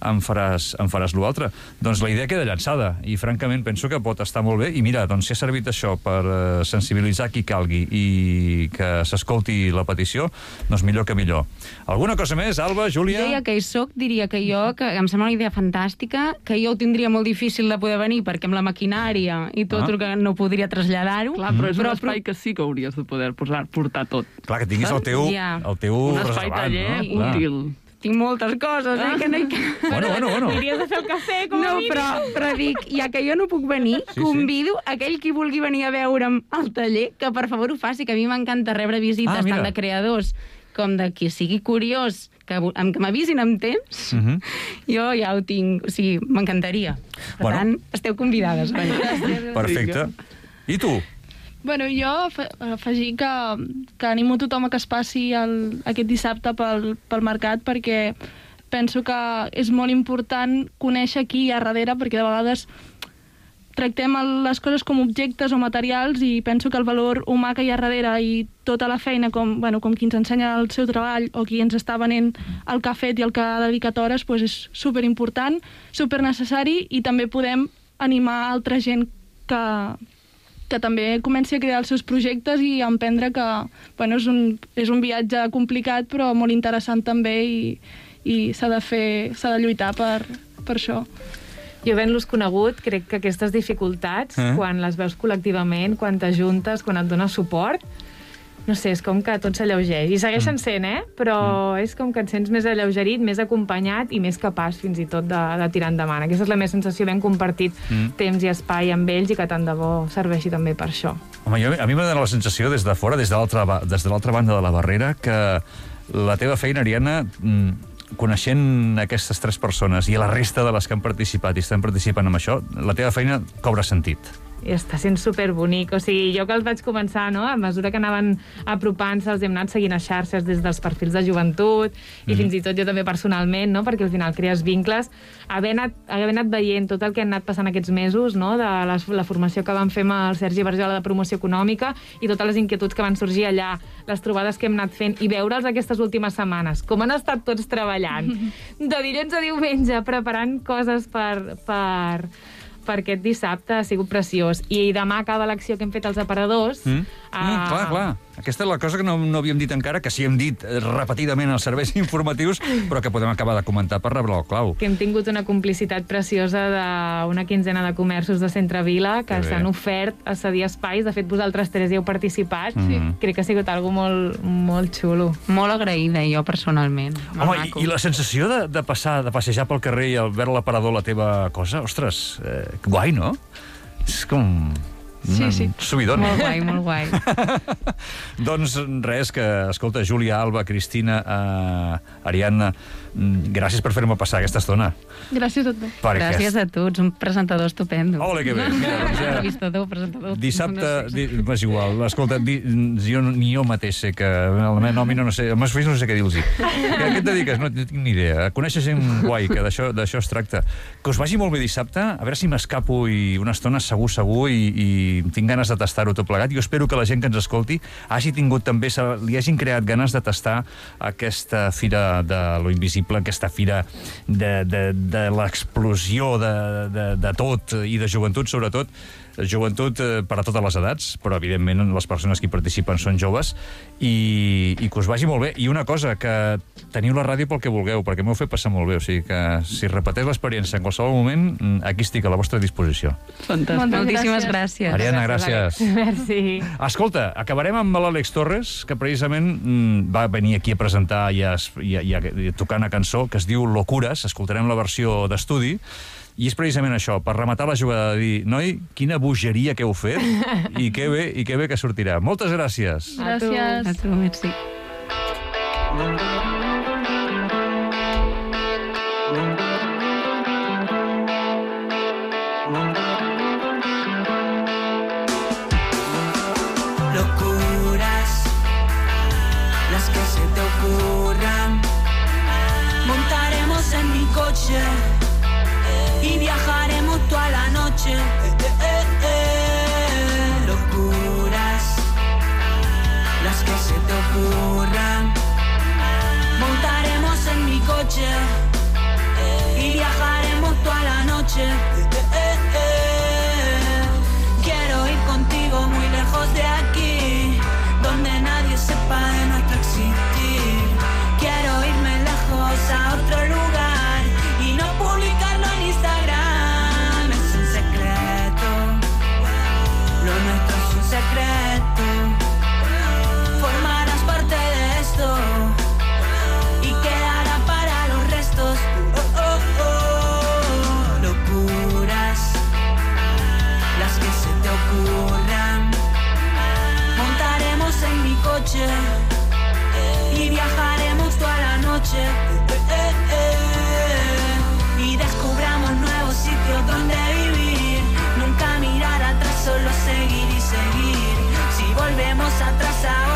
em faràs, em faràs l'altre. Doncs la idea queda llançada i francament penso que pot estar molt bé, i mira, doncs si ha servit això per eh, sensibilitzar qui calgui i que s'escolti la petició, doncs millor que millor. Alguna cosa més, Alba, Júlia? Jo ja que hi soc, diria que jo, que em sembla una idea fantàstica, que jo ho tindria molt difícil de poder venir perquè amb la maquinària i tot Ah. el que no podria traslladar-ho. Clar, però és Però- un espai que sí que hauries de poder posar, portar tot. Clar, que tinguis el teu, Ja. el teu Un espai reservat, taller no? Clar. útil. Tinc moltes coses, eh, que no hi cap. Bueno, bueno, bueno. Hauries de fer el cafè, com a No, mínim. però, però dic, ja que jo no puc venir, Sí, sí, convido sí. aquell qui vulgui venir a veure'm al taller, que per favor ho faci, que a mi m'encanta rebre visites, Ah, mira. tant de creadors com de qui sigui curiós, que, vu- amb- que m'avisin amb temps, Mhm. jo ja ho tinc, o sigui, m'encantaria. Per Bueno. tant, esteu convidades. Vaja. Perfecte. I tu? Bueno, jo afe- afegir que, que animo tothom a que es passi el, aquest dissabte pel, pel mercat, perquè penso que és molt important conèixer qui hi ha darrere, perquè de vegades tractem el- les coses com objectes o materials, i penso que el valor humà que hi ha darrere i tota la feina, com, bueno, com qui ens ensenya el seu treball o qui ens està venent el que ha fet i el que ha dedicat hores, doncs és superimportant, supernecessari, i també podem animar altra gent que, que també comenci a crear els seus projectes i a emprendre, que bueno, és, un, és un viatge complicat però molt interessant també, i, i s'ha de fer, s'ha de lluitar per, per això. Jo, havent-los conegut, crec que aquestes dificultats, Eh? eh? quan les veus col·lectivament, quan t'ajuntes, quan et dones suport, no sé, és com que tot s'alleugeix. I segueixen sent, eh? Però mm. és com que et sents més alleugerit, més acompanyat i més capaç, fins i tot, de, de tirar endavant. Aquesta és la meva sensació, ben compartit Mm. temps i espai amb ells, i que tant de bo serveixi també per això. Home, jo, a mi m'ha donat la sensació des de fora, des de l'altra ba- des de l'altra banda de la barrera, que la teva feina, Ariadna, mm, coneixent aquestes tres persones i la resta de les que han participat i estan participant en això, la teva feina cobra sentit. I està sent superbonic. O sigui, jo que els vaig començar, no?, a mesura que anaven apropant-se, els hem anat seguint a xarxes des dels perfils de joventut, i mm. fins i tot jo també personalment, no?, perquè al final crees vincles. Haver anat, haver anat veient tot el que han anat passant aquests mesos, no?, de la, la formació que vam fer amb el Sergi Barjola de promoció econòmica, i totes les inquietuds que van sorgir allà, les trobades que hem anat fent, i veure'ls aquestes últimes setmanes, com han estat tots treballant, de dilluns a diumenge, preparant coses per... per per aquest dissabte, ha sigut preciós. I demà acaba l'acció que hem fet als aparadors. Mm? Uh, Mm, clar, clar. Aquesta és la cosa que no, no havíem dit encara, que sí hem dit eh, repetidament als serveis informatius, però que podem acabar de comentar per rebre el clau. que hem tingut una complicitat preciosa d'una quinzena de comerços de Centre Vila que Que bé. s'han ofert a cedir espais. De fet, vosaltres tres hi heu participat. Mhm. Crec que ha sigut algo molt, molt xulo. Molt agraïda, jo, personalment. Molt Home, maco. i, i la sensació de, de passar, de passejar pel carrer i al veure l'aparador la teva cosa, ostres, eh, guai, no? És com... Sí, un sí. subidon. Molt guai, molt guai. Doncs res, que, escolta, Júlia, Alba, Cristina, eh, Ariadna, mm, gràcies per fer-me passar aquesta estona. Gràcies a tu. Perquè Gràcies a tu, ets un presentador estupendo. Ole, que bé. Mira, doncs ja... Entrevistador, presentador... Dissabte, no sé. di, és igual, escolta, di, jo, no- ni jo mateix sé que... La meva nòmina no sé, els meus fills no sé què dir-los. A què et dediques? No tinc ni idea. Coneixes gent guai, que d'això d'això es tracta. Que us vagi molt bé dissabte, a veure si m'escapo i una estona segur, segur, i, i i tinc ganes de tastar-ho tot plegat. Jo espero que la gent que ens escolti hagi tingut també, li hagin creat ganes de tastar aquesta fira de lo invisible, aquesta fira de, de, de l'explosió de, de, de tot i de joventut, sobretot. Joventut eh, per a totes les edats, però evidentment les persones que hi participen són joves, i, i que us vagi molt bé. I una cosa, que teniu la ràdio pel que vulgueu, perquè m'heu fet passar molt bé, o sigui que si repeteix l'experiència en qualsevol moment, aquí estic a la vostra disposició. Fantàstic. Moltíssimes gràcies. Ariadna, gràcies. Merci. Escolta, acabarem amb l'Àlex Torres, que precisament mm, va venir aquí a presentar i a, i a, i a, i a tocar una cançó que es diu Locures. Escoltarem la versió d'estudi. I és precisament això, per rematar la jugada, de dir, noi, quina bogeria que heu fet, i que bé, i que bé que sortirà. Moltes gràcies. Gràcies. A tu, merci. Locuras, las que se te ocurran. Montaremos en mi coche y viajaremos toda la noche. Eh, eh, eh. Locuras, las que se te ocurran. Montaremos en mi coche y viajaremos toda la noche. Eh, eh, eh. Quiero ir contigo muy lejos de aquí, donde nadie sepa de nuestro existir. Quiero irme lejos a otro lugar y no publicarlo en Instagram. Es un secreto, lo nuestro es un secreto. Formarás parte de esto y quedará para los restos. Oh, oh, oh. Locuras, las que se te ocurran. Montaremos en mi coche y viajaremos toda la noche. Eh, eh, eh. Y descubramos nuevos sitios donde vivir. Nunca mirar atrás, solo seguir y seguir. Si volvemos atrás ahora